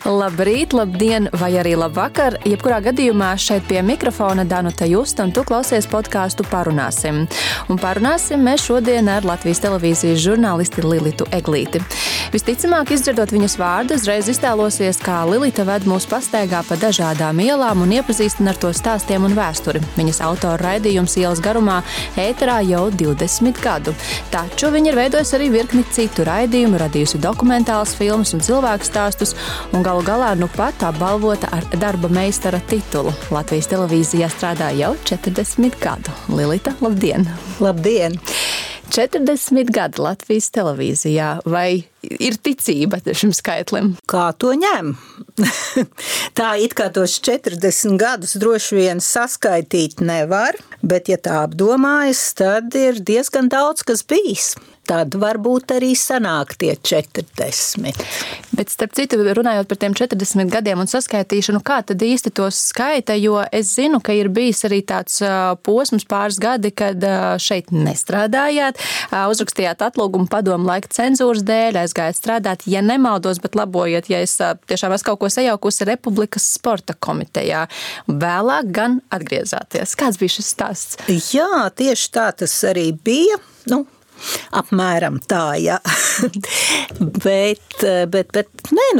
Labrīt, labdien vai arī labvakar. Jebkurā gadījumā šeit pie mikrofona Danuta Justa un tu klausies podkāstu Parunāsim. Un parunāsim mēs šodien ar Latvijas televīzijas žurnālisti Lilitu Eglīti. Visticamāk, izdzirdot viņas vārdu, uzreiz iztēlosies, kā Lilita ved mūs pastaigā pa dažādām ielām un iepazīstina ar to stāstiem un vēsturi. Viņas autora raidījums Ielas garumā ēterā jau 20 gadu. Taču viņa ir veidojusi arī virkni citu raidījumu, radījusi dokumentālas filmas un cilvēku stāstus, un galu galā nu pat apbalvota ar darba meistara titulu. Latvijas televīzijā strādā jau 40 gadu. Lilita, labdien! Labdien! 40 gadi Latvijas televīzijā. Vai ir ticība šim skaitlim? Kā to ņem? Tā it kā tos 40 gadus droši vien saskaitīt nevar, bet ja tā apdomājas, tad ir diezgan daudz, kas bijis. Tad varbūt arī sanāk tie 40. Bet starp citu, runājot par tiem 40 gadiem un saskaitīšanu, kā tad īsti tos skaita, jo es zinu, ka ir bijis arī tāds posms pāris gadi, kad šeit nestrādājāt, uzrakstījāt atlūgumu padomu laika cenzūras dēļ, aizgājāt strādāt, ja nemaldos, bet labojiet, ja es tiešām esmu kaut ko sajaukusi Republikas sporta komitejā. Vēlāk gan atgriezāties. Kāds bija šis stāsts? Jā, tieši tā tas arī bija. Apmēram tā, jā. bet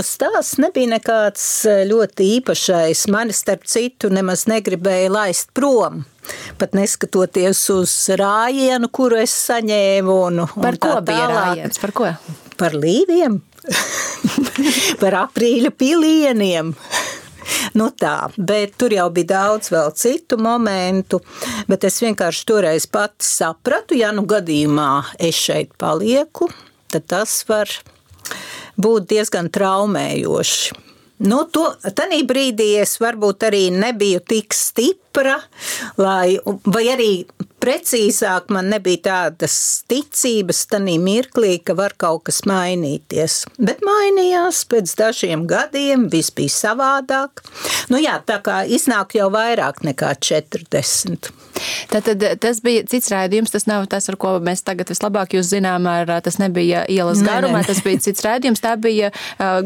stāsts nebija nekāds ļoti īpašais. Mani starp citu nemaz negribēja laist prom. Pat neskatoties uz rājienu, kuru es saņēmu. Par ko bija rājiens? Par ko? Par līviem. Par aprīļa pilieniem. Tā, bet tur jau bija daudz vēl citu momentu, bet es vienkārši toreiz pati sapratu, ja gadījumā es šeit palieku, tad tas var būt diezgan traumējoši. Tanī brīdī es varbūt arī nebiju tik stipra, vai arī precīzāk man nebija tādas ticības tanī mirklī, ka var kaut kas mainīties. Bet mainījās pēc dažiem gadiem, viss bija savādāk. Tā kā iznāk jau vairāk nekā 40. Tātad tas bija cits raidījums, tas nav tas, ar ko mēs tagad vislabāk jūs zinām, tas nebija Ielas garumā, tas bija cits raidījums, tā bija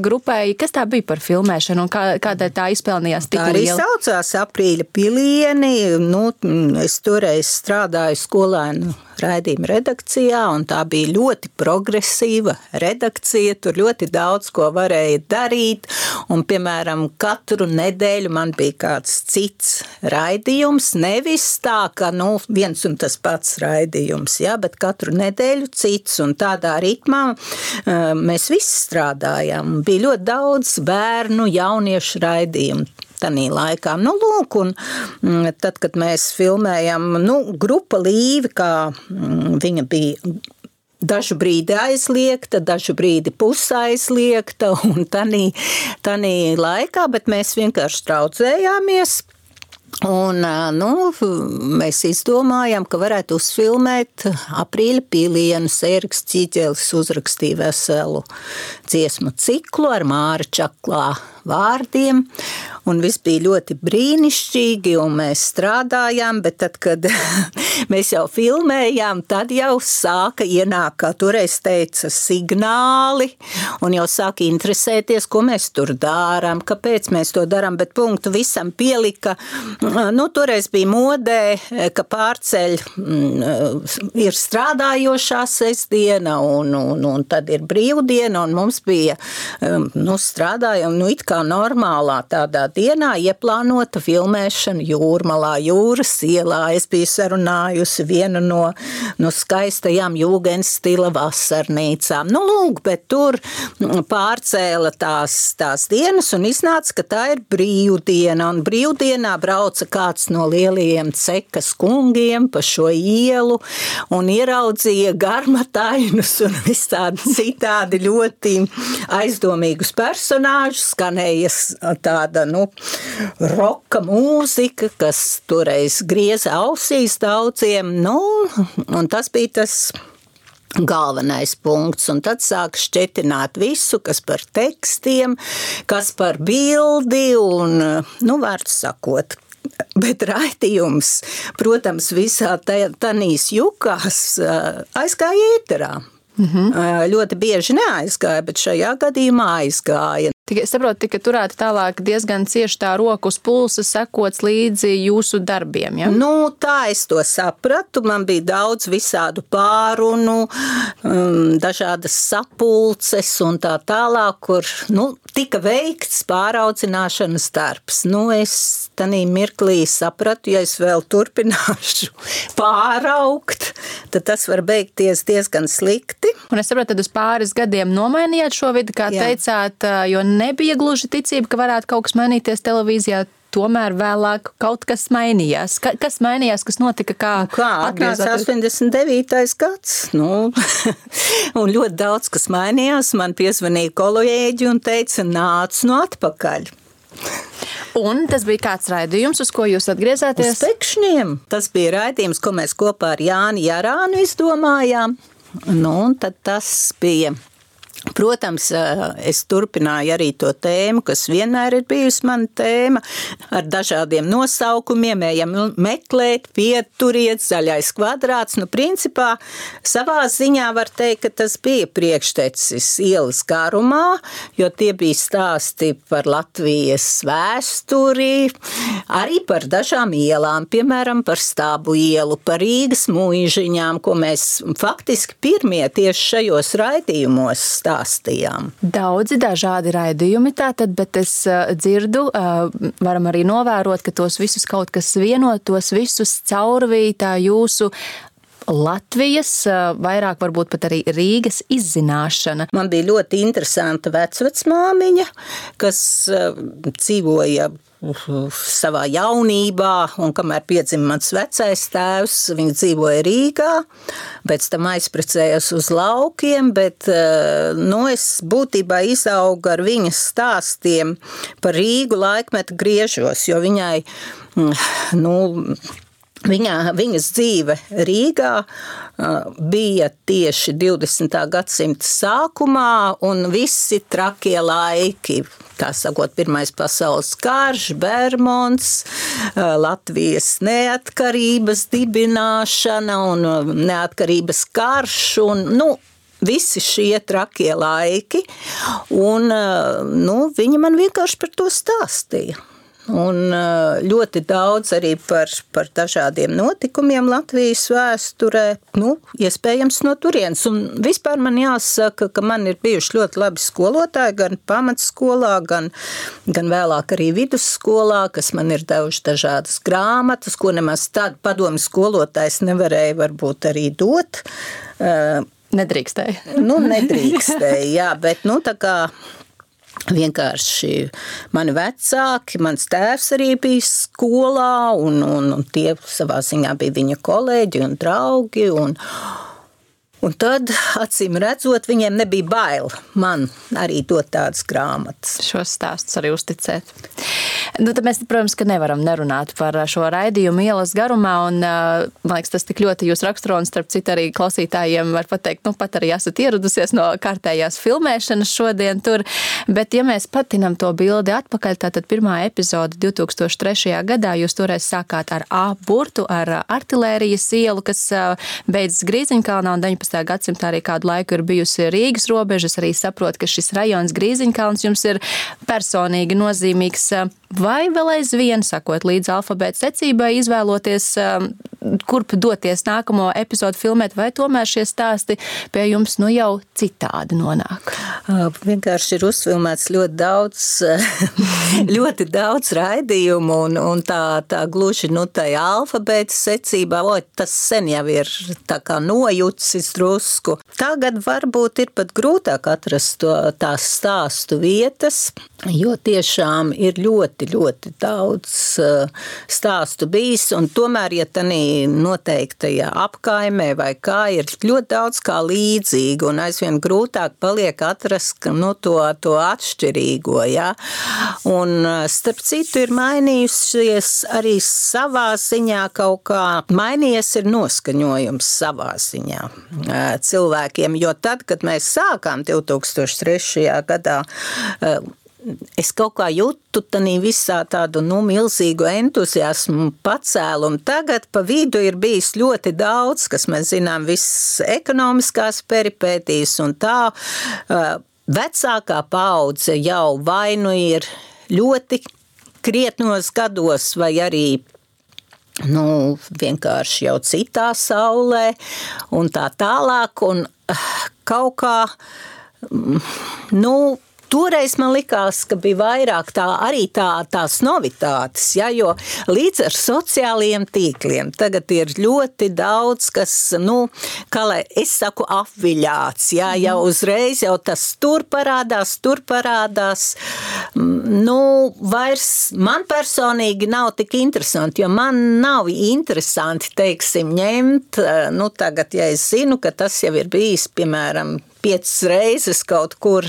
grupai, kas tā bija par filmēšanu un kādai tā izpelnījās titulu? Tā arī saucās Aprīļa pilieni, es toreiz strādāju skolēnu raidījuma redakcijā, un tā bija ļoti progresīva redakcija, tur ļoti daudz ko varēja darīt, un, piemēram, katru nedēļu man bija kāds cits raidījums, nevis tā, ka, viens un tas pats raidījums, bet katru nedēļu cits, un tādā ritmā mēs visi strādājām. Bija ļoti daudz bērnu, jauniešu raidījumu tanī laikā. Un tad, kad mēs filmējam, grupa Līve, kā viņa bija dažu brīdi aizliegta, dažu brīdi pusaizliegta, un tanī laikā, bet mēs vienkārši traucējāmies. Un, mēs izdomājām, ka varētu uzfilmēt Aprīļa pilienus. Ēriks Ķīģelis uzrakstīja veselu dziesmu ciklu ar Māra Čaklā vārdiem, un viss bija ļoti brīnišķīgi, un mēs strādājām, bet tad, kad mēs jau filmējām, tad jau sāka ienākt, kā toreiz teica, signāli, un jau sāka interesēties, ko mēs tur dārām, kāpēc mēs to darām, bet punktu visam pielika. Toreiz bija modē, ka pārceļ ir strādājošā sestdiena, un tad ir brīvdiena, un mums bija, strādājam, it kā normālā tādā dienā ieplānota filmēšana Jūrmalā, Jūras ielā. Es biju sarunājusi vienu no skaistajām jūgenstila vasarnīcām. Bet tur pārcēla tās dienas un iznāca, ka tā ir brīvdiena. Un brīvdienā brauca kāds no lielajiem cekas kungiem pa šo ielu un ieraudzīja garmatainus un visādi citādi ļoti aizdomīgus personāžus, skanēja tāda, roka mūzika, kas toreiz grieza ausīs daudziem, un tas bija tas galvenais punkts, un tad sāk šķetināt visu, kas par tekstiem, kas par bildi, un, vārds sakot, bet raidījums, protams, visā tanīs jukās aizgāja ēterā. Ļoti bieži neaizgāja, bet šajā gadījumā aizgāja. Tikai saprotu, tika turēta tālāk diezgan cieši tā roka uz pulsa, sekots līdzi jūsu darbiem, ja? Nu, tā es to sapratu. Man bija daudz visādu pārunu, dažādas sapulces un tā tālāk, kur, tika veikts pāraudzināšanas darbs. Es tanī mirklī sapratu, ja es vēl turpināšu pāraugt, tad tas var beigties diezgan slikti. Un es saprotu, tad uz pāris gadiem nomainījāt šo vidi, kā teicāt, jo nebija gluži ticība, ka varētu kaut kas mainīties televīzijā, tomēr vēlāk kaut kas mainījās. Kas mainījās, kas notika, kā atnāca 89. gads? Un ļoti daudz, kas mainījās. Man piezvanīja kolēģi un teica, nāc atpakaļ. Un tas bija kāds raidījums, uz ko jūs atgriezāties? Uz Pekšņiem. Tas bija raidījums, ko mēs kopā ar Jāni Jarānu izdomājām. Un tad tas bija... Protams, es turpināju arī to tēmu, kas vienmēr ir bijusi mana tēma, ar dažādiem nosaukumiem, ejam meklēt, pieturiet, zaļais kvadrāts. Principā, savā ziņā var teikt, ka tas bija priekštecis ielas garumā, jo tie bija stāsti par Latvijas vēsturi, arī par dažām ielām, piemēram, par Stābu ielu, par Rīgas mūžiņām, ko mēs faktiski pirmie tieši šajos raidījumos stāstījām. Daudzi dažādi raidījumi tātad, bet es dzirdu, varam arī novērot, ka tos visus kaut kas vieno, tos visus caurvīja tā jūsu Latvijas, vairāk varbūt pat arī Rīgas izzināšana. Man bija ļoti interesanta vecvecmāmiņa, kas dzīvoja savā jaunībā, un kamēr piedzima mans vecais tēvs, viņa dzīvoja Rīgā, pēc tam aizprecējās uz laukiem, bet es būtībā izaugu ar viņas stāstiem par Rīgu laikmetu griežos, jo viņai, viņas dzīve Rīgā bija tieši 20. gadsimta sākumā un visi trakie laiki, tā sakot, Pirmais pasaules karš, Bermonts, Latvijas neatkarības dibināšana un neatkarības karš un, visi šie trakie laiki un, viņi man vienkārši par to stāstīja. Un ļoti daudz arī par dažādiem notikumiem Latvijas vēsturē, iespējams no turienes. Un vispār man jāsaka, ka man ir bijuši ļoti labi skolotāji, gan pamatskolā, gan vēlāk arī vidusskolā, kas man ir devuši dažādas grāmatas, ko nemaz tādu padomu skolotājs nevarēja varbūt arī dot. Nedrīkstēja. Nedrīkstēja, jā, bet tā kā vienkārši mani vecāki, mans tēvs arī bija skolā un tie savā ziņā bija viņa kolēģi un draugi un tad, acīm redzot, viņiem nebija bail man arī dot tādas grāmatas. Šos stāstus arī uzticēt. Tad mēs, protams, ka nevaram nerunāt par šo raidījumu ielas garumā, un, man liekas, tas tik ļoti jūs raksturo, un starp citu arī klausītājiem var pateikt, pat arī esat ieradusies no kārtējās filmēšanas šodien tur, bet ja mēs patinam to bildi atpakaļ, tātad pirmā epizode 2003. gadā, jūs toreiz sākāt ar A burtu, ar artilērijas ielu, kas beidzas Grīziņkalnā, un 19. gadsimtā arī kādu laiku ir bijusi Rīgas robežas, arī saprot, ka šis rajons Grīziņkalns jums ir personīgi nozīmīgs. Vai vēl aizvien, sakot līdz alfabēta secībai, izvēloties, kurp doties nākamo epizodu filmēt, vai tomēr šie stāsti pie jums jau citādi nonāk? Vienkārši ir uzfilmēts ļoti daudz raidījumu, un tā gluži tajā alfabēta secībā, tas sen jau ir tā kā nojucis drusku. Tagad varbūt ir pat grūtāk atrast tās stāstu vietas, jo tiešām ir ļoti daudz stāstu bijis, un tomēr, ja tanī noteiktajā apkaimē vai kā, ir ļoti daudz kā līdzīgi, un aizvien grūtāk paliek atrast to atšķirīgo, ja? Un starp citu ir mainījusies arī savā ziņā kaut kā, mainījies ir noskaņojums savā ziņā cilvēkiem, jo tad, kad mēs sākām 2003. gadā, es kaut kā jūtu tanī visā tādu milzīgu entuziasmu pacēlumu. Tagad pa vidu ir bijis ļoti daudz, kas mēs zinām, viss ekonomiskās peripētīs un tā. vecākā paudze jau vai nu ir ļoti krietnos gados, vai arī vienkārši jau citā saulē un tā tālāk. Un kaut kā, toreiz man likās, ka bija vairāk tās novitātes, ja, jo līdz ar sociālajiem tīkliem tagad ir ļoti daudz, kas, kā lai es saku, apviļāts, ja, jau uzreiz jau tas tur parādās. Vairs man personīgi nav tik interesanti, jo man nav interesanti, teiksim, ņemt, tagad, ja es zinu, ka tas jau ir bijis, piemēram, 5 reizes kaut kur.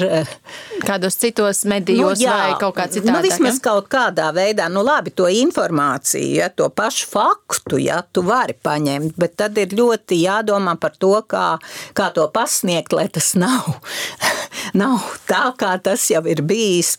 Kādos citos medijos vai kaut kā citādāk? Vismaz kaut kādā veidā, labi, to informāciju, ja, to pašu faktu, ja, tu vari paņemt, bet tad ir ļoti jādomā par to, kā to pasniegt, lai tas nav tā, kā tas jau ir bijis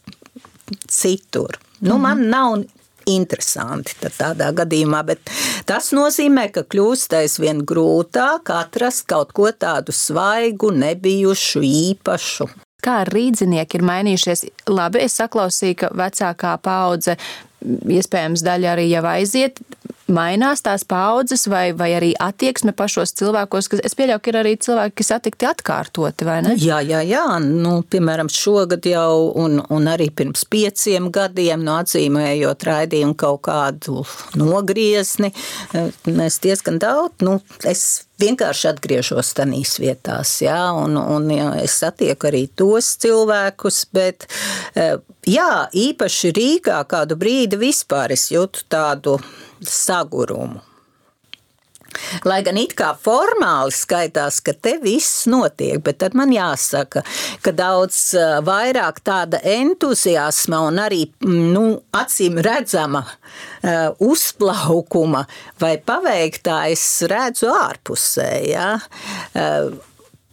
citur. Man nav interesanti tādā gadījumā, bet tas nozīmē, ka kļūst aizvien grūtāk atrast kaut ko tādu svaigu, nebijušu, īpašu. Kā rīdzinieki ir mainījušies? Labi, es saklausīju, ka vecākā paudze, iespējams, daļa arī jau aiziet, mainās tās paudzes vai arī attieksme pašos cilvēkos, kas es pieļauju, ka ir arī cilvēki, kas attikti atkārtoti, vai ne? Jā. Piemēram, šogad jau un arī pirms 5 gadiem, atzīmējot raidījumu kaut kādu nogriezni, mēs diezgan daudz, es vienkārši atgriežos tanīs vietās, jā, un es satieku arī tos cilvēkus, bet jā, īpaši Rīgā kādu brīdi vispār es jūtu tādu sagurumu. Lai gan it kā formāli skaitās, ka te viss notiek, bet tad man jāsaka, ka daudz vairāk tāda entuziasma un arī, acīm redzama uzplaukuma vai paveiktā es redzu ārpusē, jā.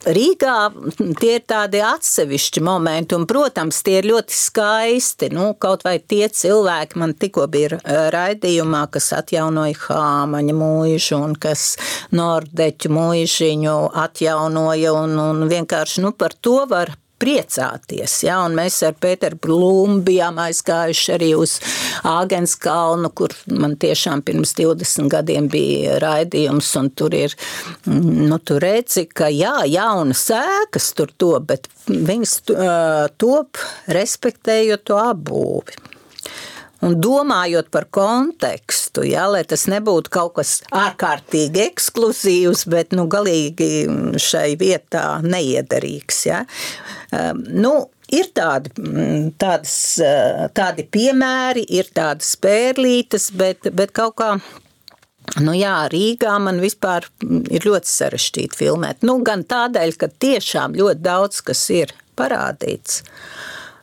Rīgā tie ir tādi atsevišķi momenti, un, protams, tie ir ļoti skaisti. Kaut vai tie cilvēki, man tikko bija raidījumā, kas atjaunoja Hāmaņa mūžu un kas Nordeķu mūžiņu atjaunoja, un vienkārši par to var priecāties, ja, un mēs ar Pēteru Blūmu bijām aizgājuši arī uz Āgenskalnu, kur man tiešām pirms 20 gadiem bija raidījums, un tur ir, tu redzi, ka jā, jaunas ēkas tur top, bet viņas top respektējot to apbūvi. Un domājot par kontekstu, ja, lai tas nebūtu kaut kas ārkārtīgi ekskluzīvs, bet galīgi šai vietā neiederīgs. Ja. Ir tādi piemēri, ir tādas pērlītes, bet kaut kā, Rīgā man vispār ir ļoti sarežģīti filmēt. Gan tādēļ, ka tiešām ļoti daudz, kas ir parādīts,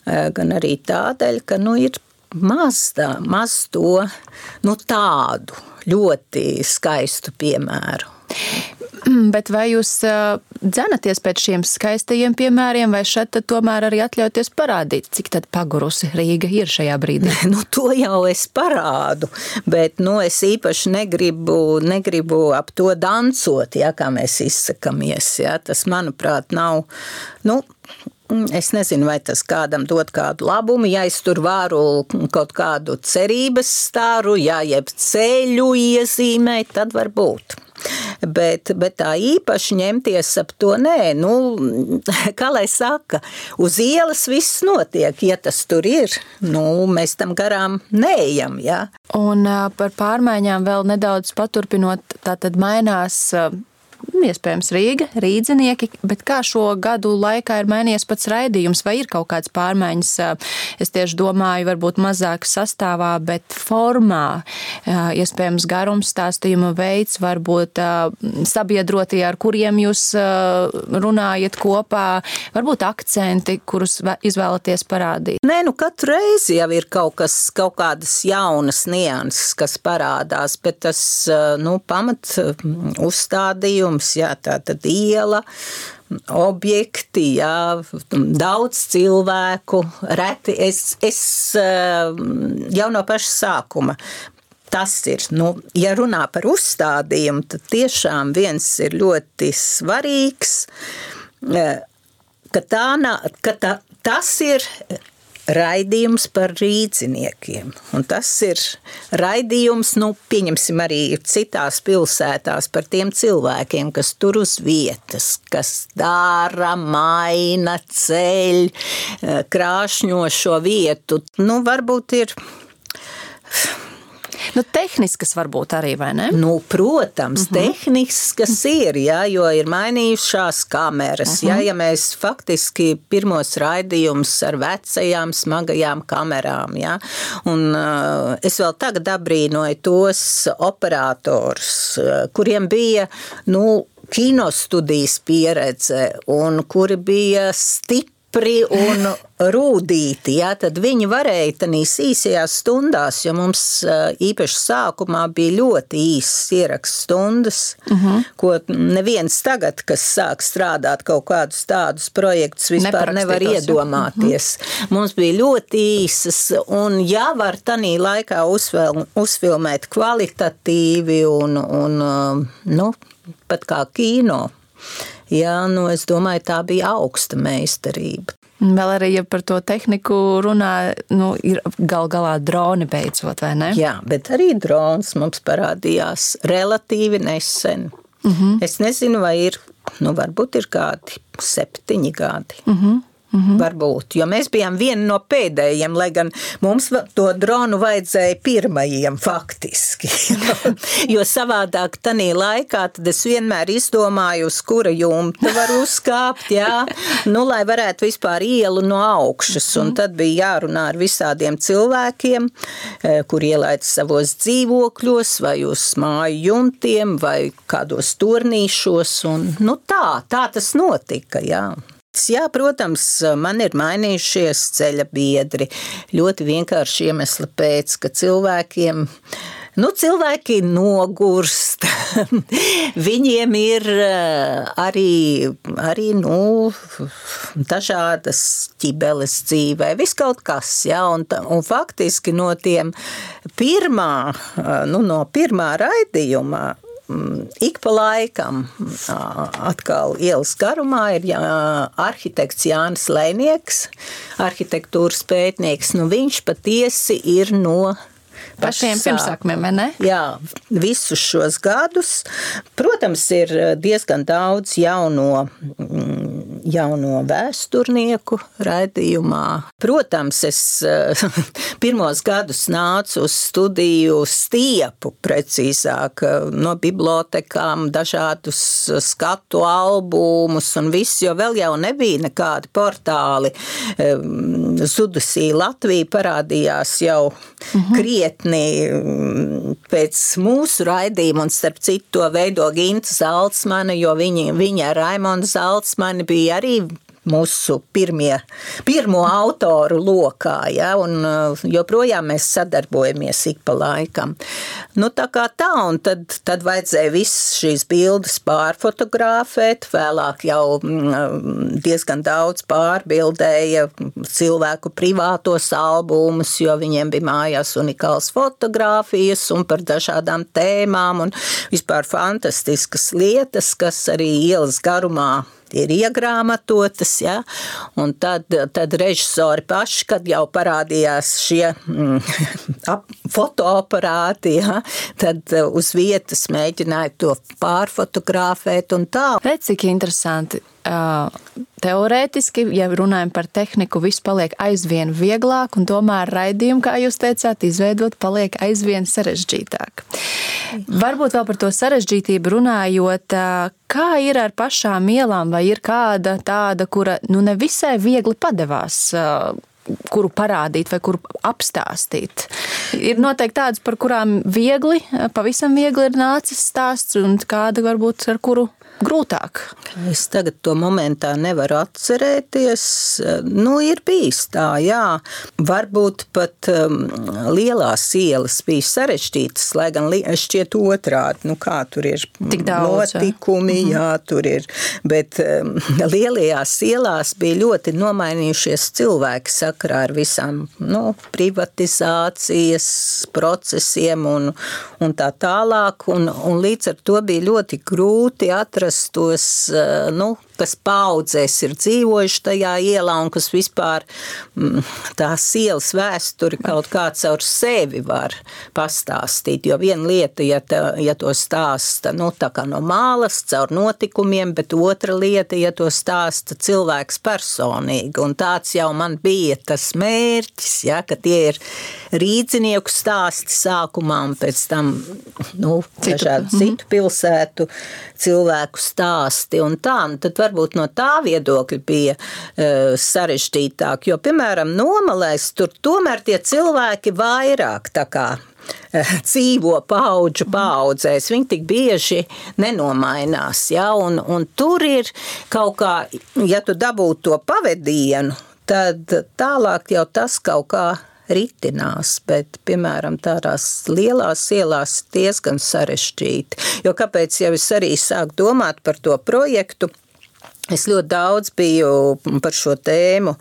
gan arī tādēļ, ka, ir maz to, tādu ļoti skaistu piemēru. Bet vai jūs dzenaties pēc šiem skaistajiem piemēriem, vai šeit tad tomēr arī atļauties parādīt, cik tad pagurusi Rīga ir šajā brīdī? To jau es parādu, bet es īpaši negribu ap to dancot, ja, kā mēs izsakamies. Ja. Tas, manuprāt, nav, es nezinu, vai tas kādam dod kādu labumu, ja es tur varu kaut kādu cerības stāru, ja jeb ceļu iezīmēt, tad var būt. Bet tā īpaši ņemties ap to, nē, kā lai saka, uz ielas viss notiek, ja tas tur ir, mēs tam garām neejam, jā. Un par pārmaiņām vēl nedaudz paturpinot, tātad mainās iespējams Rīga, rīdzinieki, bet kā šo gadu laikā ir mainījies pats raidījums, vai ir kaut kāds pārmaiņas, es tieši domāju, varbūt mazāk sastāvā, bet formā, iespējams garums, stāstījuma veids, varbūt sabiedrotie, ar kuriem jūs runājat kopā, varbūt akcenti, kurus izvēlaties parādīt? Nē, katru reizi jau ir kaut kādas jaunas nianses, kas parādās, bet tas, pamat uzstādījums, jā, tātad iela, objekti, jā, daudz cilvēku, reti, es jau no paša sākuma. Tas ir, ja runā par uzstādījumu, tad tiešām viens ir ļoti svarīgs. tas ir raidījums par rīdziniekiem. Un tas ir raidījums, pieņemsim arī citās pilsētās par tiem cilvēkiem, kas tur uz vietas, kas dara, maina, ceļ, krāšņo šo vietu. Varbūt ir... Tehniskas varbūt arī, vai ne? Protams, tehniskas ir, jo ir mainījušās kameras. Ja mēs faktiski pirmos raidījumus ar vecajām, smagajām kamerām, un es vēl tagad abrīnoju tos operatorus, kuriem bija, kinostudijas pieredze un kuri bija stipri un rūdīti, tad viņi varēja tādīs īsajās stundās, jo mums īpaši sākumā bija ļoti īsas ierakstu stundas, ko neviens tagad, kas sāk strādāt kaut kādus tādus projektus, vispār nevar iedomāties. Mums bija ļoti īsas, un var tādī laikā uzfilmēt kvalitatīvi un pat kā kino. Es domāju, tā bija augsta meistarība. Vēl arī, ja par to tehniku runā, ir galā droni beidzot, vai ne? Jā, bet arī drons mums parādījās relatīvi nesen. Es nezinu, vai ir, varbūt ir kādi 7 gadi. Varbūt, jo mēs bijām vieni no pēdējiem, lai gan mums to dronu vajadzēja pirmajiem faktiski. Jo savādāk tanī laikā tad es vienmēr izdomāju, uz kura jumta var uzkāpt, lai varētu vispār ielu no augšas. Un tad bija jārunā ar visādiem cilvēkiem, kur ielaid savos dzīvokļos vai uz māju jumtiem vai kādos turnīšos. Un, tā tas notika, Jā, protams, man ir mainījušies ceļa biedri. Ļoti vienkārši iemesli pēc, ka cilvēki nogurst. Viņiem ir arī dažādas ķibeles dzīvē, viss kaut kas, un faktiski no tiem no pirmā raidījumā ik pa laikam atkal ielas garumā ir arhitekts Jānis Lēnieks, arhitektūras pētnieks. Viņš patiesi ir no pašiem pirmsākumiem, vai ne? Jā, visus šos gadus. Protams, ir diezgan daudz jauno vēsturnieku raidījumā. Protams, es pirmos gadus nācu uz studiju stiepu, precīzāk, no bibliotekām, dažādus skatu albumus un viss, jo vēl jau nebija nekādi portāli. Zudusī Latvija parādījās jau krietni pēc mūsu raidījuma, un starp citu to veido Ginta Zalcmane, jo viņa Raimonda Zalcmane bija arī mūsu pirmo autoru lokā, un joprojām mēs sadarbojamies ik pa laikam. Tā kā tā, un tad vajadzēja visas šīs bildes pārfotografēt, vēlāk jau diezgan daudz pārbildēja cilvēku privātos albumus, jo viņiem bija mājās unikāls fotogrāfijas un par dažādām tēmām un vispār fantastiskas lietas, kas arī ielas garumā ir iegrāmatotas, un tad režisori paši, kad jau parādījās šie fotoaparāti, tad uz vietas mēģināja to pārfotografēt un tā. Redz, cik interesanti. Teorētiski, ja runājam par tehniku, viss paliek aizvien vieglāk, un tomēr raidījumu, kā jūs teicāt, izveidot paliek aizvien sarežģītāk. Varbūt vēl par to sarežģītību runājot, kā ir ar pašām ielām, vai ir kāda tāda, kura nevisai viegli padevās, kuru parādīt vai kuru apstāstīt? Ir noteikti tādas, par kurām pavisam viegli ir nācis stāsts, un kāda varbūt ar kuru grūtāk? Es tagad to momentā nevaru atcerēties. Ir bijis tā, jā. Varbūt pat lielās ielas bija sarežģītas, lai gan šķiet otrādi. Kā tur ir notikumi, jā, tur ir. Bet lielajās ielās bija ļoti nomainījušies cilvēki sakarā ar visām privatizācijas procesiem un tā tālāk. Un līdz ar to bija ļoti grūti atrast tos kas paudzēs ir dzīvojuši tajā ielā un kas vispār tās ielas vēsturi kaut kā caur sevi var pastāstīt. Jo viena lieta, ja to stāsta, tā kā no mālas, caur notikumiem, bet otra lieta, ja to stāsta cilvēks personīgi. Un tāds jau man bija tas mērķis, ja, ka tie ir rīdzinieku stāsti sākumā un pēc tam, dažādu citu pilsētu cilvēku stāsti un tā. Un tad varbūt no tā viedokļa bija sarežģītāk, jo, piemēram, Nomalēs tur tomēr tie cilvēki vairāk tā kā dzīvo paudžu paudzēs, viņi tik bieži nenomainās, ja, un tur ir kaut kā, ja tu dabūtu to pavedienu, tad tālāk jau tas kaut kā ritinās, bet, piemēram, tādās lielās ielās diezgan sarežģīti. Jo kāpēc jau es arī sāku domāt par to projektu? Es ļoti daudz biju par šo tēmu,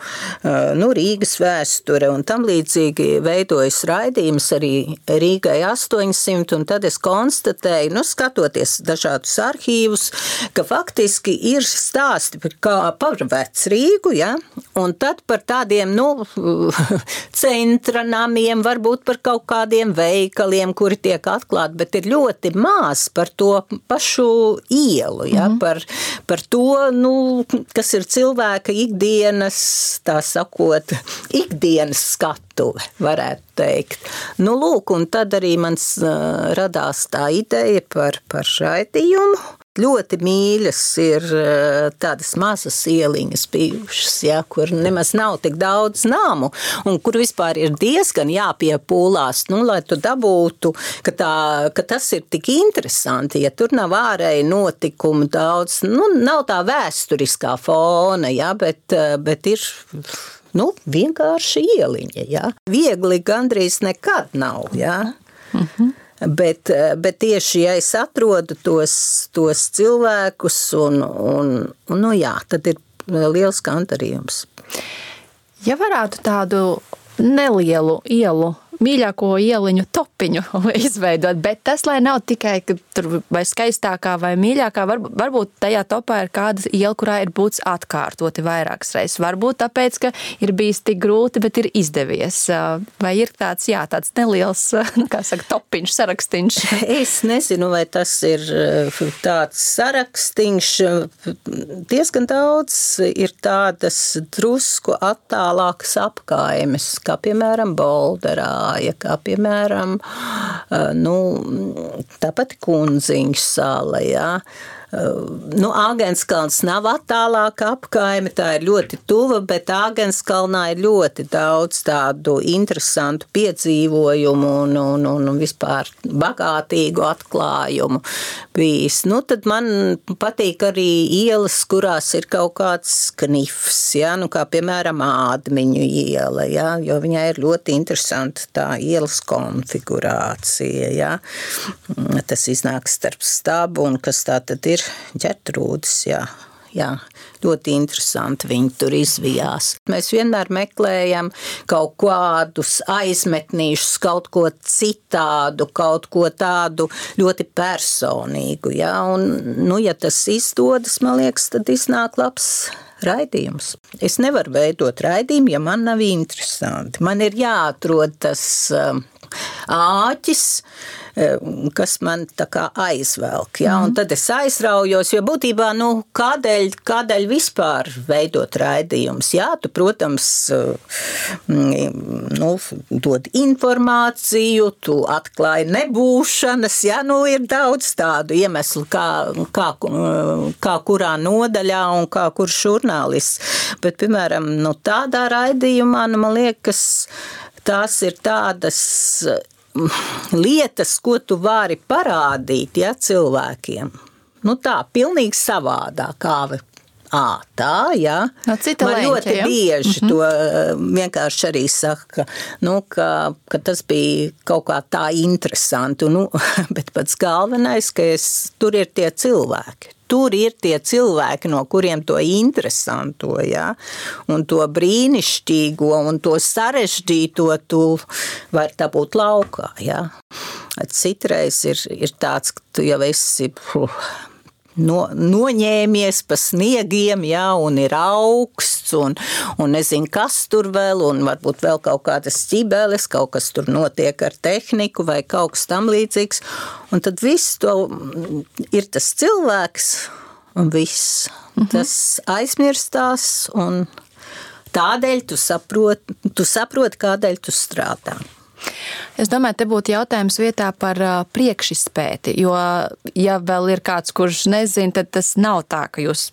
Rīgas vēsture, un tam līdzīgi veidojas raidījums arī Rīgai 800, un tad es konstatēju, skatoties dažādus arhīvus, ka faktiski ir stāsti par Vecrīgu, ja, un tad par tādiem, centra namiem, varbūt par kaut kādiem veikaliem, kuri tiek atklāti, bet ir ļoti maz par to pašu ielu, ja, par to, kas ir cilvēka ikdienas, tā sakot, ikdienas skatuve, varētu teikt. Lūk, un tad arī man radās tā ideja par raidījumu. Ļoti mīļas ir tādas mazas ieliņas bijušas, ja, kur nemaz nav tik daudz namu un kur vispār ir diezgan jāpiepūlās, lai tu dabūtu, ka tas ir tik interesanti, ja tur nav ārēji notikumu daudz, nav tā vēsturiskā fona, ja, bet ir vienkārši ieliņa, ja. Viegli gandrīz nekad nav, ja. Bet tieši, ja es atrodu tos cilvēkus un tad ir liels gandarījums. Ja varētu tādu nelielu ielu, mīļāko ieliņu topiņu izveidot, bet tas, lai nav tikai tur vai skaistākā vai mīļākā, varbūt tajā topā ir kāda iela, kurā ir būts atkārtoti vairākas reizes. Varbūt tāpēc, ka ir bijis tik grūti, bet ir izdevies. Vai ir tāds neliels, topiņš, sarakstīns? Es nezinu, vai tas ir tāds sarakstīns. Diezgan daudz ir tādas drusku attālākas apkaimes, kā piemēram Bolderā, kā piemēram, tāpat Kunziņš sala, jā. Āgenskalns nav attālāka apkaime, tā ir ļoti tuva, bet Āgenskalnā ir ļoti daudz tādu interesantu piedzīvojumu un vispār bagātīgu atklājumu bijis. Tad man patīk arī ielas, kurās ir kaut kāds knifs, ja? Kā piemēram Ādmiņu iela, ja? Jo viņai ir ļoti interesanta tā ielas konfigurācija. Ja? Tas iznāk starp stabu un kas tā tad ir Ģertrūdes, jā, ļoti interesanti viņi tur izvijās. Mēs vienmēr meklējam kaut kādus aizmetnīšus, kaut ko citādu, kaut ko tādu ļoti personīgu, jā, un, ja tas izdodas, man liekas, tad iznāk labs raidījums. Es nevaru veidot raidījumu, ja man nav interesanti. Man ir jāatrod tas āķis, kas man tā kā aizvelk, ja? Un tad es aizraujos, jo būtībā, kādēļ vispār veidot raidījums? Jā, tu, protams, dod informāciju, tu atklāji nebūšanas, ja? Ir daudz tādu iemeslu, kā kurā nodaļā un kā kurš žurnālists. Bet, piemēram, tādā raidījumā, man liekas, tās ir tādas lietas, ko tu vari parādīt, ja, cilvēkiem. Tā, pilnīgi savādā, kā tā, jā. No cita man leņķa, ļoti bieži to vienkārši arī saka, ka tas bija kaut kā tā interesanti, bet pats galvenais, ka tur ir tie cilvēki. Tur ir tie cilvēki, no kuriem to interesanto, ja? Un to brīnišķīgo un to sarežģīto tu vari dabūt laukā. Ja? Citreiz ir tāds, ka tu jau esi noņēmies pa sniegiem, jā, un ir augsts, un nezinu, kas tur vēl, un varbūt vēl kaut kādas ķibeles, kaut kas tur notiek ar tehniku vai kaut kas tam līdzīgs. Un tad viss to ir tas cilvēks un viss. Tas aizmirstās, un tādēļ tu saproti, kādēļ tu strādā. Es domāju, te būtu jautājums vietā par priekšizpēti, jo, ja vēl ir kāds, kurš nezin, tad tas nav tā, ka jūs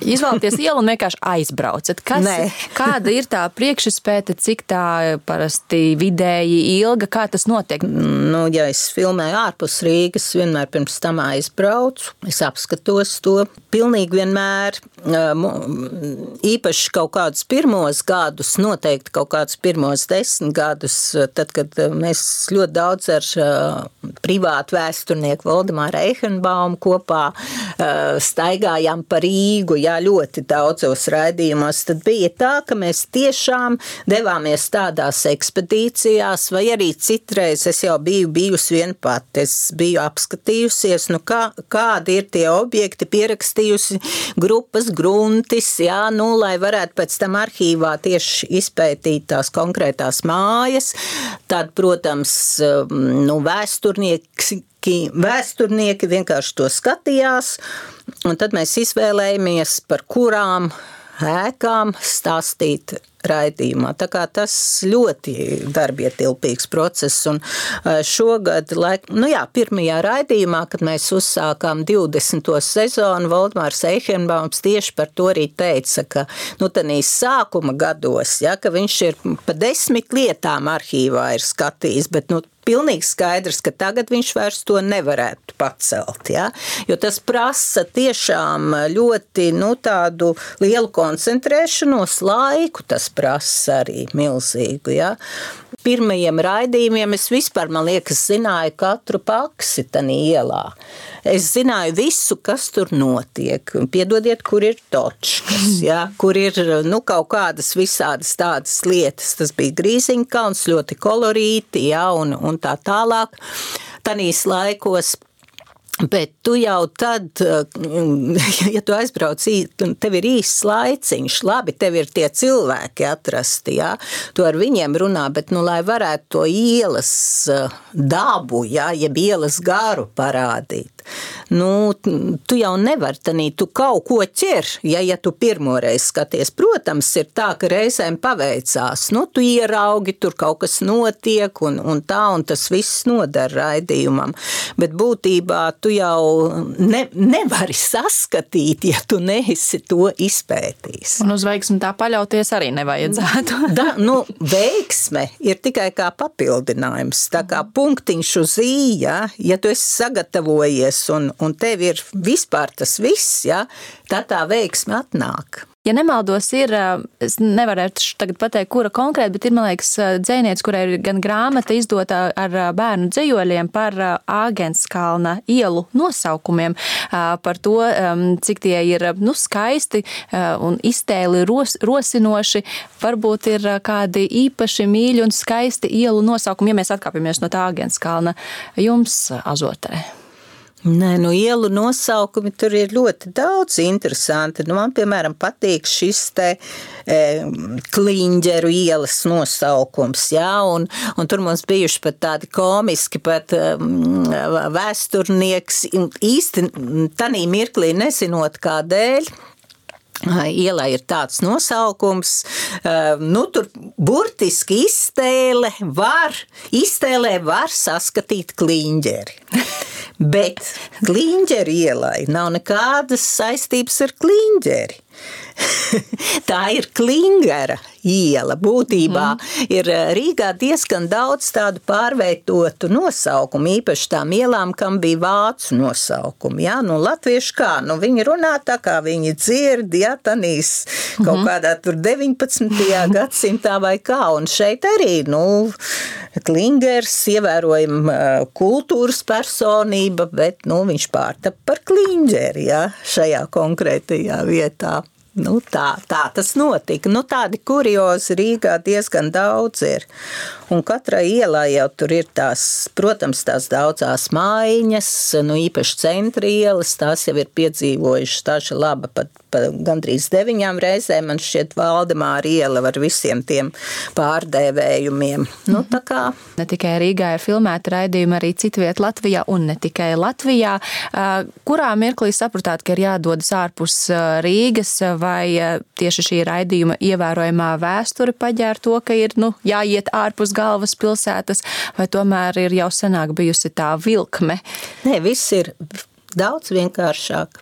izvēlaties ielu un vienkārši aizbraucat. Kāda ir tā priekšizpēte, cik tā parasti vidēji ilga, kā tas notiek? Nu, ja es filmēju ārpus Rīgas, vienmēr pirms tam aizbraucu, es apskatos to pilnīgi vienmēr, īpaši kaut kādus pirmos gadus, noteikti kaut kādus pirmos 10 gadus, tad, kad mēs ļoti daudz ar privātu vēsturnieku Valdemāru Eichenbaumu kopā staigājām pa Rīgu, jā, ļoti daudzos raidījumos, tad bija tā, ka mēs tiešām devāmies tādās ekspedīcijās, vai arī citreiz es jau biju bijusi vien pat, es biju apskatījusies, nu kādi ir tie objekti, pierakstījusi grupas gruntis, jā, nu, lai varētu pēc tam arhīvā tieši izpētīt tās konkrētās mājas. Tad, protams, nu, vēsturnieki vienkārši to skatījās, un tad mēs izvēlējāmies, par kurām ēkām stāstīt raidījumā. Tā kā tas ļoti darbietilpīgs process, un šogad, pirmajā raidījumā, kad mēs uzsākām 20. sezonu, Valdemārs Eichenbaums tieši par to arī teica, ka, tanīs sākuma gados, ja, ka viņš ir pa 10 lietām arhīvā ir skatījis, bet, pilnīgi skaidrs, ka tagad viņš vairs to nevarētu pacelt, ja? Jo tas prasa tiešām ļoti, tādu lielu koncentrēšanos, laiku tas prasa arī milzīgu, ja? Pirmajiem raidījumiem es vispār, man liekas, zināju katru paksi tanī ielā. Es zināju visu, kas tur notiek. Piedodiet, kur ir točkas, ja? Kur ir, kaut kādas visādas tādas lietas. Tas bija Grīziņkalns, ļoti kolorīti, ja? Un tā tālāk. Tanīs laikos. Bet tu jau tad, ja tu aizbrauc, tev ir īsts laiciņš, labi, tev ir tie cilvēki atrasti, jā, tu ar viņiem runā, bet, lai varētu to ielas dabu, jā, jeb ielas garu parādīt, tu jau nevari tanī, tu kaut ko ķer, ja tu pirmoreiz skaties. Protams, ir tā, ka reizēm paveicās, tu ieraugi, tur kaut kas notiek, un tā, un tas viss nodara raidījumam, bet būtībā tu jau nevari saskatīt, ja tu neesi to izpētījis. Un uz veiksmi tā paļauties arī nevajadzētu. Veiksme ir tikai kā papildinājums, tā kā punktiņš uz i, ja tu esi sagatavojies un tev ir vispār tas viss, tad tā veiksme atnāk. Ja nemaldos, es nevarētu tagad pateikt, kura konkrēti, bet ir, man liekas, dzejniece, kurai ir gan grāmata izdota ar bērnu dzejoļiem par Āgenskalna ielu nosaukumiem, par to, cik tie ir skaisti un iztēli rosinoši. Varbūt ir kādi īpaši mīļi un skaisti ielu nosaukumi, ja mēs atkāpjamies no tā Āgenskalna jums Azotē. Nē, ielu nosaukumi tur ir ļoti daudz interesanti. Man, piemēram, patīk šis te Kliņģeru ielas nosaukums, un tur mums bijuši pat tādi komiski, pat vēsturnieks, īsti tanī mirklī nezinot kādēļ. Ielai ir tāds nosaukums, tur burtiski iztēlē var saskatīt Kliņģeri. Bet Kliņģeri ielai nav nekādas saistības ar Kliņģeri. Tā ir Klingera iela. Būtībā ir Rīgā diezgan daudz tādu pārveidotu nosaukumu, īpaši tām ielām, kam bija vācu nosaukumi. Latvieši kā? Viņi runā tā, kā viņi dzird, tanīs kaut kādā tur 19. gadsimtā vai kā. Un šeit arī, Klingers ievērojama kultūras personība, bet, viņš pārtapa par Kliņģeri, šajā konkrētajā vietā. Tā tas notika. Tādi kuriozi Rīgā diezgan daudz ir. Un katrai ielai jau tur ir tās, protams, tās daudzās mājiņas, īpaši centra ielas, tās jau ir piedzīvojušas tāša laba pat gandrīz 9 reizēm. Man šķiet Valdemāra iela ar visiem tiem pārdēvējumiem. Tā kā. Ne tikai Rīgā ir filmēta raidījumi, arī citviet Latvijā un ne tikai Latvijā. Kurā mirklī sapratāt, ka ir jādodas ārpus Rīgas, vai tieši šī raidījuma ievērojamā vēsture paģēra to, ka ir jāiet ārpus galvaspilsētas, vai tomēr ir jau senāk bijusi tā vilkme? Nē, viss ir daudz vienkāršāk.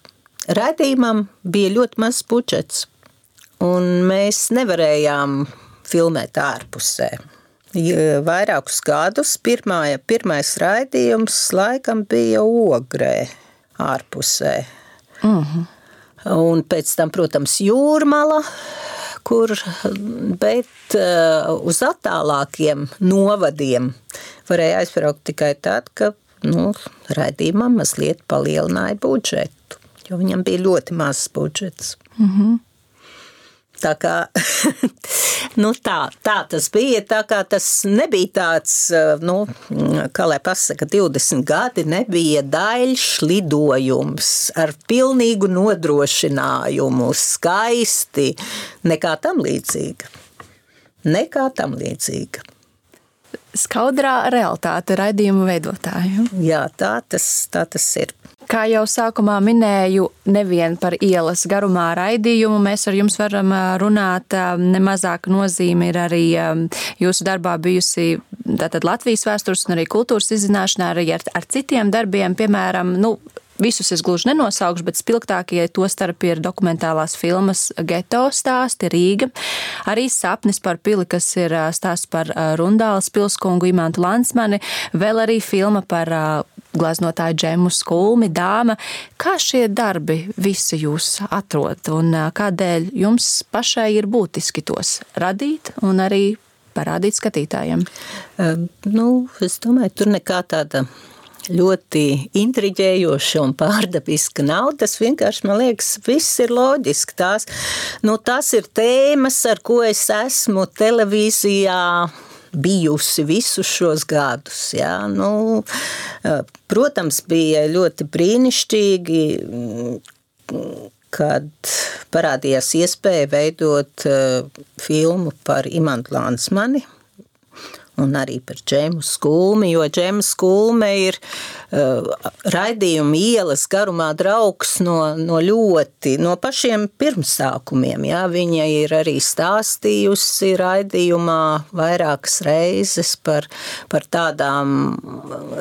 Raidījumam bija ļoti mazs budžets, un mēs nevarējām filmēt ārpusē. Vairākus gadus pirmais raidījums laikam bija Ogrē ārpusē. Un pēc tam, protams, Jūrmala, bet uz attālākiem novadiem varēja aizbraukt tikai tad, ka raidījumam mazliet palielināja budžetu, jo viņam bija ļoti mazs budžets. Tā kā tā tas bija, tā kā tas nebija tāds, kā lai pasaka, 20 gadi nebija daļš lidojums ar pilnīgu nodrošinājumu, skaisti, nekā tam līdzīga. Skaudrā realitāte raidījumu veidotāju. Jā, tā tas ir. Kā jau sākumā minēju, nevien par ielas garumā raidījumu mēs ar jums varam runāt. Nemazāka nozīme ir arī jūsu darbā bijusi tātad Latvijas vēstures un arī kultūras izzināšanā, arī ar citiem darbiem, piemēram, visus es gluži nenosaukšu, bet spilgtākie to starp ir dokumentālās filmas Geto stāsti, Rīga, arī Sapnis par pili, kas ir stāsts par Rundāles pilskungu Imantu Lansmani, vēl arī filma par gleznotāju Džemu Skulmi, Dāma. Kā šie darbi visi jūs atrod un kādēļ jums pašai ir būtiski tos radīt un arī parādīt skatītājiem? Es domāju, tur nekā tāda ļoti intriģējoša un pārdabiska nav. Tas vienkārši, man liekas, viss ir loģiski. Tās ir tēmas, ar ko es esmu televīzijā bijusi visus šos gadus. Jā. Protams, bija ļoti brīnišķīgi, kad parādījās iespēja veidot filmu par Imantu Lansmani un arī par Džemu Skulmi, jo Džema Skulme ir raidījuma ielas garumā draugs no pašiem pirmsākumiem. Jā. Viņa ir arī stāstījusi raidījumā vairākas reizes par tādām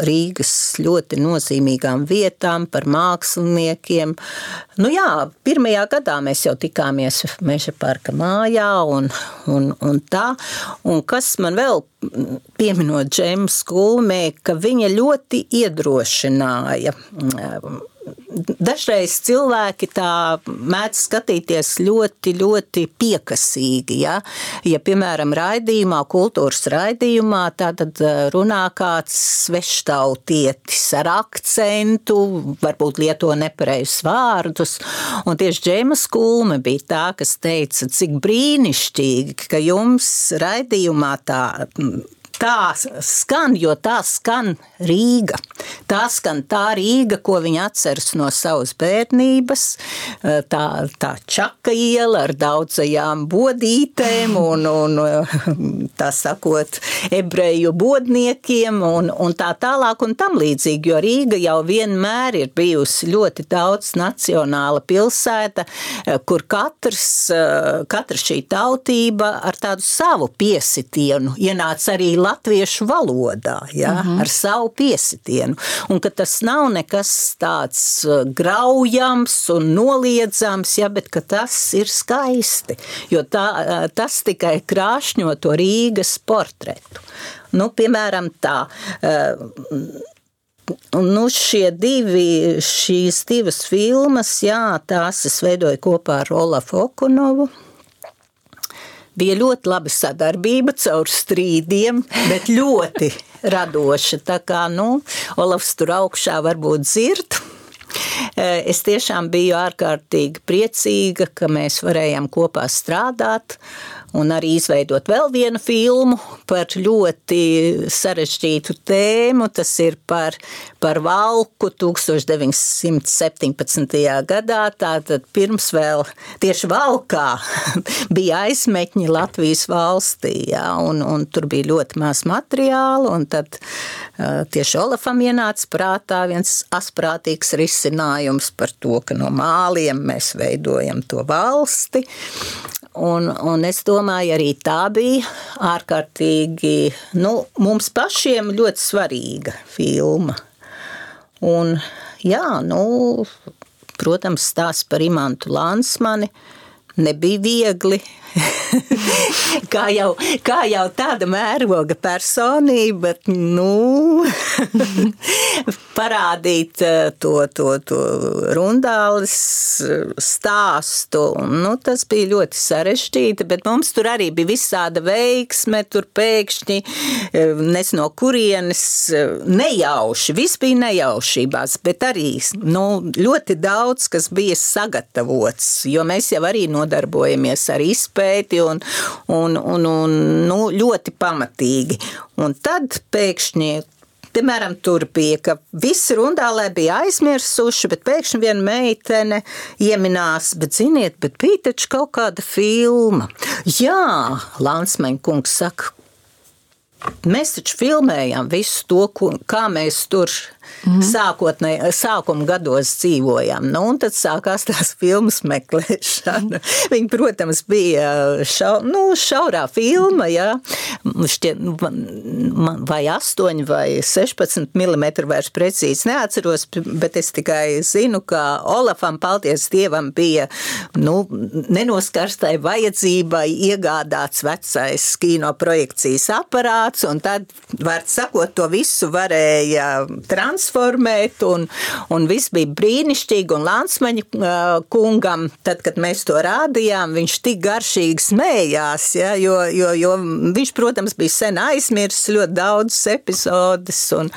Rīgas ļoti nozīmīgām vietām, par māksliniekiem. Pirmajā gadā mēs jau tikāmies Meža parka mājā un tā. Un kas man vēl pieminot Džemu Skulmē, ka viņa ļoti iedrošināja. Dažreiz cilvēki tā mēdz skatīties ļoti, ļoti piekasīgi. Ja, piemēram, raidījumā, kultūras raidījumā, tad runā kāds sveštautietis ar akcentu, varbūt lieto nepareizus vārdus. Un tieši Džema Skulme bija tā, kas teica, cik brīnišķīgi, ka jums raidījumā tā skan, jo tā skan Rīga. Tā skan tā Rīga, ko viņi atceras no savas bērnības, tā Čaka iela ar daudzajām bodītēm un tā sakot, ebreju bodniekiem un tā tālāk un tam līdzīgi, jo Rīga jau vienmēr ir bijusi ļoti daudz nacionāla pilsēta, kur katra šī tautība ar tādu savu piesitienu ienāca arī latviešu valodā, ja, ar savu piesitienu. Un ka tas nav nekas tāds graujams un noliedzams, ja, bet ka tas ir skaisti, jo tas tikai krāšņo to Rīgas portretu. Piemēram, tā. Šīs divas filmas, jā, tās es veidoju kopā ar Olafu Okunovu. Bija ļoti laba sadarbība caur strīdiem, bet ļoti radoša. Tā kā, Olafs tur augšā varbūt dzird, Es tiešām biju ārkārtīgi priecīga, ka mēs varējām kopā strādāt un arī izveidot vēl vienu filmu par ļoti sarežģītu tēmu. Tas ir par Valku 1917. gadā. Tātad pirms vēl tieši Valkā bija aizmetņi Latvijas valstī, jā, un tur bija ļoti maz materiāla, un tad tieši Olafam ienāca prātā viens asprātīgs risinājums par to, ka no māliem mēs veidojam to valsti. Un es domāju, arī tā bija ārkārtīgi, mums pašiem ļoti svarīga filma. Un, jā, protams, stāsts par Imantu Lansmani nebija viegli. kā jau tāda mēroga personība, parādīt to Rundāles stāstu. Tas bija ļoti sarežģīti, bet mums tur arī bija visāda veiksme, tur pēkšņi no kurienes nejauši, viss bija nejaušībās, bet arī ļoti daudz, kas bija sagatavots, jo mēs jau arī nodarbojamies ar izpēti un ļoti pamatīgi. Un tad pēkšņi, piemēram, tur bija, ka visi Rundālē bija aizmirsuši, bet pēkšņi viena meitene ieminās, bet ziniet, bet bija taču kaut kāda filma. Jā, Lansmeņa kungs saka, mēs taču filmējām visu to, kā mēs tur sākuma gados dzīvojām. Un tad sākās tās filmas meklēšana. Viņa, protams, bija šaurā filma, jā. Vai 8 vai 16 mm vairs precīzi neatceros, bet es tikai zinu, ka Olafam, paldies Dievam, bija nenoskarstai vajadzībai iegādāts vecais kinoprojekcijas aparāts, un tad, var sakot, to visu varēja transformēt, un viss bija brīnišķīgi, un Lansmeņa kungam, tad, kad mēs to rādījām, viņš tik garšīgi smējās, ja, jo viņš, protams, bija sen aizmirsis ļoti daudz epizodes, un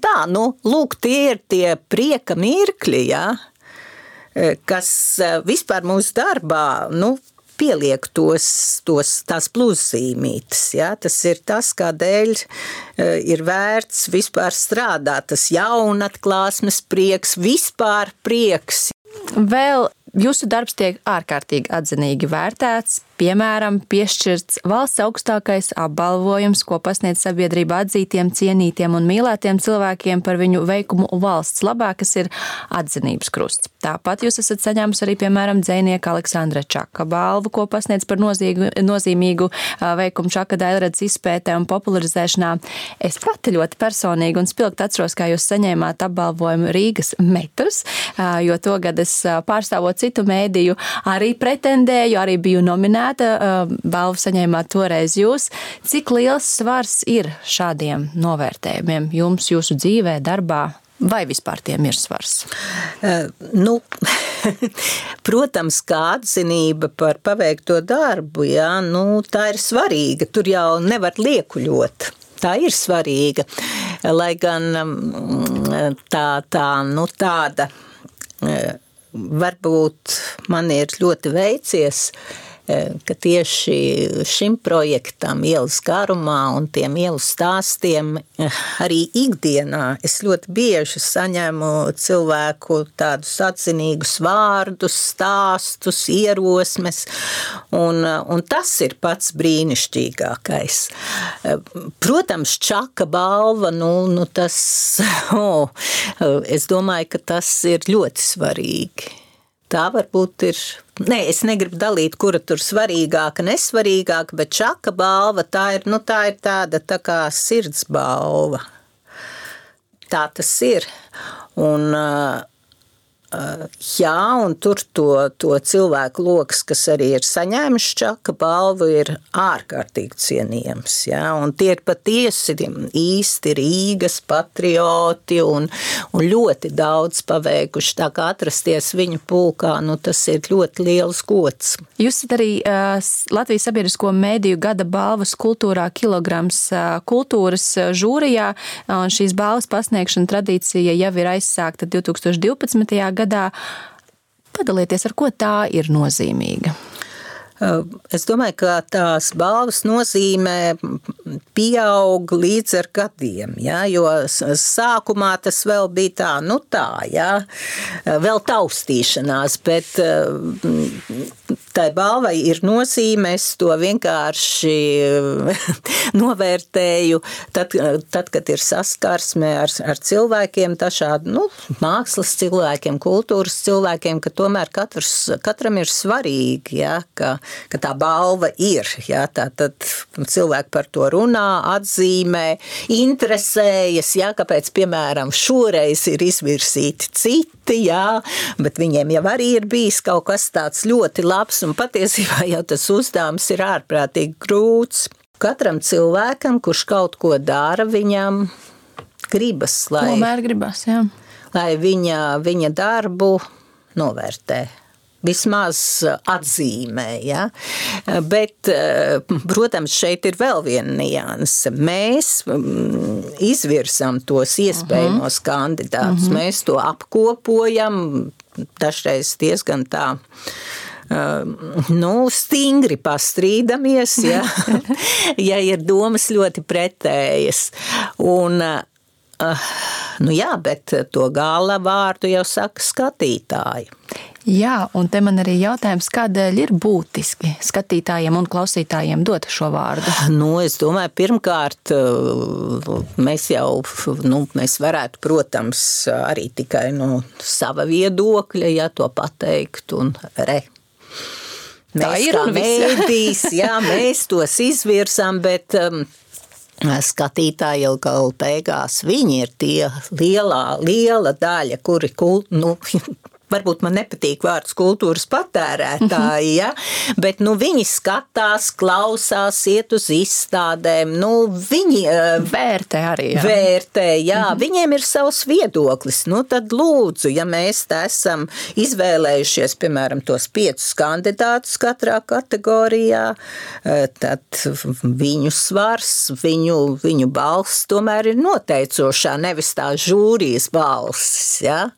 tā, lūk, tie ir tie prieka mirkļi, ja, kas vispār mūsu darbā, pieliek tās pluszīmītes. Ja? Tas ir tas, kādēļ ir vērts vispār strādāt. Tas jaunatklāsmes prieks, vispār prieks. Vēl jūsu darbs tiek ārkārtīgi atzinīgi vērtēts. Piemēram, piešķirts valsts augstākais apbalvojums, ko pasniedz sabiedrība atzītiem, cienītiem un mīlētiem cilvēkiem par viņu veikumu valsts labā, kas ir atzinības krusts. Tāpat jūs esat saņēmusi arī, piemēram, dzejnieka Aleksandra Čaka balvu, ko pasniedz par nozīmīgu veikumu Čaka daļradas izpētē un popularizēšanā. Es pati ļoti personīgi un spilgti atceros, kā jūs saņēmāt apbalvojumu Rīgas metrs, jo togad es pārstāvot citu mēdīju arī pretendēju, arī biju nominēta. Balvu saņēmāt toreiz jūs. Cik liels svars ir šādiem novērtējumiem jums, jūsu dzīvē, darbā, vai vispār tiem ir svars? Protams, kā atzinība par paveikto darbu, jā, tā ir svarīga. Tur jau nevar liekuļot. Tā ir svarīga. Lai gan tāda varbūt man ir ļoti veicies, ka tieši šim projektam ielas garumā un tiem ielu stāstiem arī ikdienā es ļoti bieži saņemu cilvēku tādus atzinīgus vārdus, stāstus, ierosmes, un tas ir pats brīnišķīgākais. Protams, Čaka balva, tas, es domāju, ka tas ir ļoti svarīgi. Tā varbūt ir, es negribu dalīt, kura tur svarīgāka, nesvarīgāka, bet Čaka balva, tā ir tāda tā kā sirds balva. Tā tas ir. Un Jā, un tur to cilvēku loks, kas arī ir saņēmuši Čaka balvu, ir ārkārtīgi cienījams. Jā, un tie ir patiesi īsti Rīgas patrioti un ļoti daudz paveikuši. Tā kā atrasties viņu pulkā, tas ir ļoti liels gods. Jūs esat arī Latvijas sabiedrisko mēdīju gada balvas kultūrā kilograms kultūras žūrijā, un šīs balvas pasniegšana tradīcija jau ir aizsākta 2012. gadā. Padalieties, ar ko tā ir nozīmīga? Es domāju, ka tās balvas nozīmē pieaug līdz ar gadiem, ja, jo sākumā tas vēl bija tā, ja, vēl taustīšanās, bet tai balvai ir nozīme, es to vienkārši novērtēju, tad, kad ir saskarsme ar cilvēkiem, dažādi, mākslas cilvēkiem, kultūras cilvēkiem, ka tomēr katram ir svarīgi, ja, ka tā balva ir, ja, tad cilvēki par to runā, atzīmē, interesējas, ja, kāpēc, piemēram, šoreiz ir izvirsīti citi, ja, bet viņiem jau arī ir bijis kaut kas tāds ļoti labs, un patiesībā jau tas uzdevums ir ārprātīgi grūts. Katram cilvēkam, kurš kaut ko dara, viņam gribas, lai viņa darbu novērtē. Vismaz atzīmē, ja? Bet, protams, šeit ir vēl viena nianse. Mēs izvirsam tos iespējamos kandidātus, mēs to apkopojam, dažreiz diezgan tā, stingri pastrīdamies, ja? Ja ir domas ļoti pretējas. Un, jā, bet to gala vārdu jau saka skatītāji. Jā, un te man arī jautājums, kādēļ ir būtiski skatītājiem un klausītājiem dot šo vārdu? Es domāju, pirmkārt, mēs varētu, protams, arī tikai no sava viedokļa, ja to pateikt, un mēs kā mēdīs, jā, mēs tos izvirsam, bet skatītāji jau gala beigās, viņi ir tie liela daļa, kuri varbūt man nepatīk vārds kultūras patērētāji, ja? Bet viņi skatās, klausās, iet uz izstādēm, viņi vērtē arī. Jā. Vērtē, jā, viņiem ir savs viedoklis. Tad lūdzu, ja mēs te esam izvēlējušies, piemēram, tos 5 kandidātus katrā kategorijā, tad viņu svars, viņu balss tomēr ir noteicošā, nevis tā žūrijas balss, ja?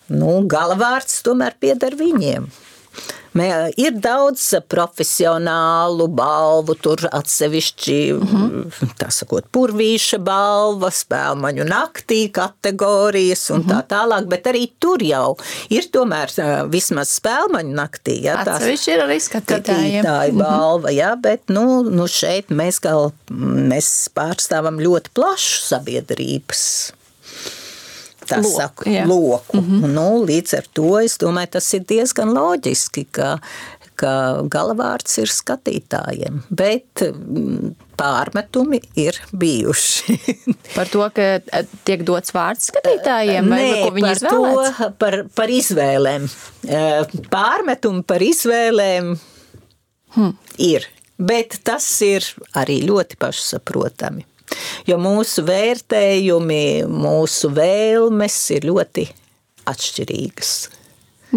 Galavārds tomēr pieder viņiem. Ir daudz profesionālu balvu, tur atsevišķi, tā sakot, purvīša balva, spēlmaņu naktī kategorijas un tā tālāk, bet arī tur jau ir tomēr vismaz spēlmaņu naktī. Ja, atsevišķi ir arī skatītāji balva, ja, bet šeit mēs pārstāvam ļoti plašu sabiedrības loku. Līdz ar to, es domāju, tas ir diezgan loģiski, ka galavārds ir skatītājiem, bet pārmetumi ir bijuši. Par to, ka tiek dots vārds skatītājiem? Vai ko viņi izvēlēts? Par izvēlēm. Pārmetumi par izvēlēm ir, bet tas ir arī ļoti pašsaprotami. Jo mūsu vērtējumi, mūsu vēlmes ir ļoti atšķirīgas.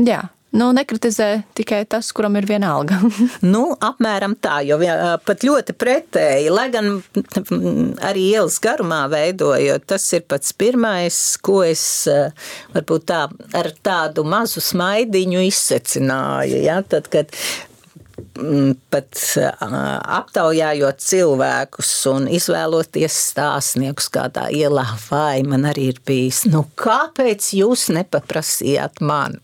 Jā, nekritizē tikai tas, kuram ir viena alga. Apmēram tā, jo pat ļoti pretēji, lai gan arī ielas garumā veidojot, tas ir pats pirmais, ko es varbūt ar tādu mazu smaidiņu izsecināju, ja, tad, kad pat aptaujājot cilvēkus un izvēloties stāstniekus kādā ielā, vai man arī ir bijis, kāpēc jūs nepaprasījāt man?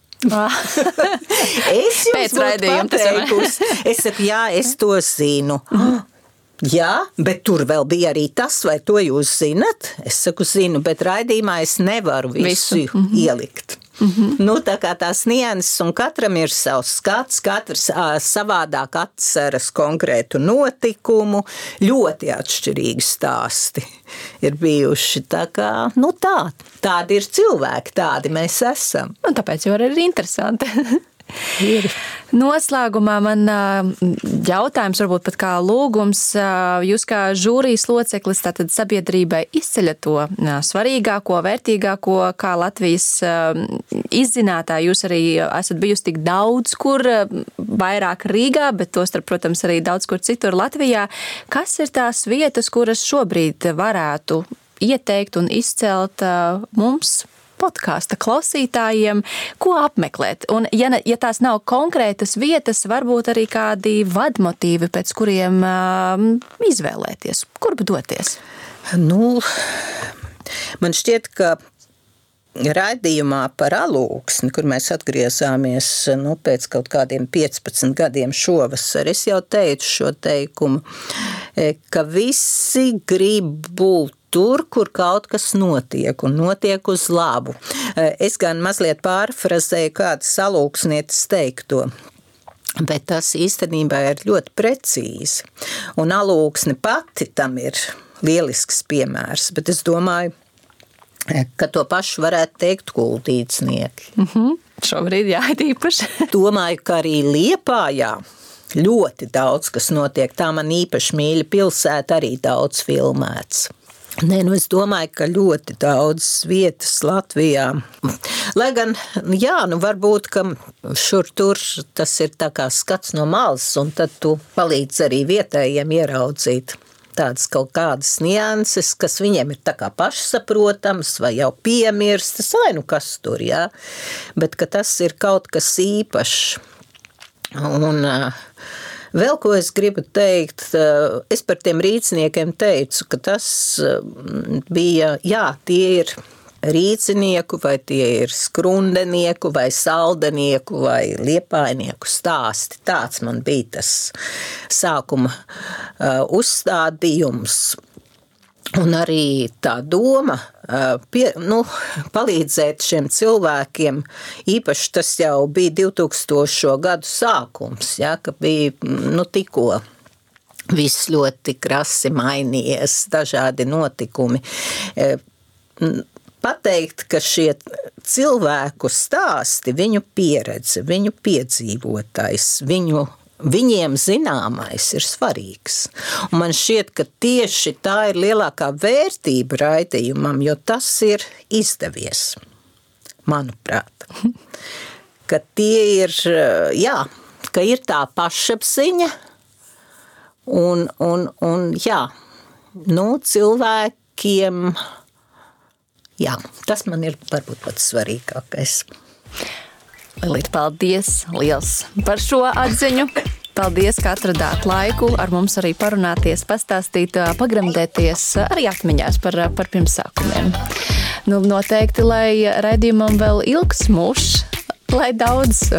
Es jums būtu pateikusi. Es saku, jā, es to zinu. Jā, bet tur vēl bija arī tas, vai to jūs zinat? Es saku, zinu, bet raidījumā es nevaru visu ielikt. Nu, tā kā tās nianses, un katram ir savs skats, katrs savādāk atceras konkrētu notikumu, ļoti atšķirīgi stāsti ir bijuši. Tā kā, nu tādi ir cilvēki, tādi mēs esam. Un tāpēc jau arī ir interesanti. Noslēgumā man jautājums, varbūt pat kā lūgums, jūs kā žūrijas loceklis, tātad sabiedrībai izceļat to svarīgāko, vērtīgāko, kā Latvijas izzinātāji. Jūs arī esat bijusi tik daudz, kur vairāk Rīgā, bet tostarp, protams, arī daudz kur citur Latvijā. Kas ir tās vietas, kuras šobrīd varētu ieteikt un izcelt mums, podkāsta klausītājiem, ko apmeklēt? Un, ja tās nav konkrētas vietas, varbūt arī kādi vadmotīvi, pēc kuriem izvēlēties, kurp doties? Nu, man šķiet, ka raidījumā par Alūksni, kur mēs atgriezāmies pēc kaut kādiem 15 gadiem šovasar, es jau teicu šo teikumu, ka visi grib būt tur, kur kaut kas notiek, un notiek uz labu. Es gan mazliet pārfrazēju kādu Alūksnietes teikto, bet tas īstenībā ir ļoti precīzi. Un Alūksne pati tam ir lielisks piemērs, bet es domāju, ka to pašu varētu teikt kuldīdznieki. Šobrīd jā, īpaši. Domāju, ka arī Liepājā ļoti daudz, kas notiek. Tā man īpaši mīļa pilsēta, arī daudz filmēts. Nē, es domāju, ka ļoti daudz vietas Latvijā. Lai gan, varbūt, ka šur tur tas ir tā kā skats no malas, un tad tu palīdz arī vietējiem ieraudzīt tādas kaut kādas nianses, kas viņiem ir tā kā pašsaprotams vai jau piemirstas, vai kas tur, jā. Bet ka tas ir kaut kas īpašs. Un vēl ko es gribu teikt, es par tiem rīcniekiem teicu, ka tas bija, tie ir rīcinieku, vai tie ir skrundenieku, vai saldenieku, vai liepājnieku stāsti. Tāds man bija tas sākuma uzstādījums. Un arī tā doma palīdzēt šiem cilvēkiem, īpaši tas jau bija 2000. Gadu sākums, ka bija tikko viss ļoti krasi mainījies, dažādi notikumi. Pateikt, ka šie cilvēku stāsti, viņu pieredze, viņu piedzīvotais, viņiem zināmais ir svarīgs. Un man šķiet, ka tieši tā ir lielākā vērtība raidījumam, jo tas ir izdevies, manuprāt. Ka tie ir, ka ir tā pašapziņa un cilvēkiem, tas man ir varbūt pats svarīgākais. Lilīt, paldies liels par šo atziņu. Paldies, ka atradāt laiku ar mums arī parunāties, pastāstīt, pagremdēties arī atmiņās par pirmsākumiem. Noteikti, lai raidījumam vēl ilgs mūžs, lai daudz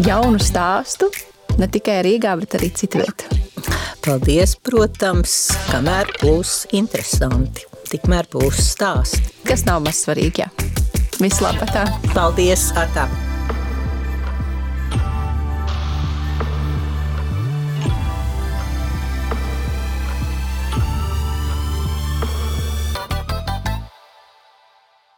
jaunu stāstu, ne tikai Rīgā, bet arī citviet. Paldies, protams, kamēr būs interesanti, tikmēr būs stāsti. Kas nav maz svarīgi, jā. Vislabāk tā. Paldies, atā.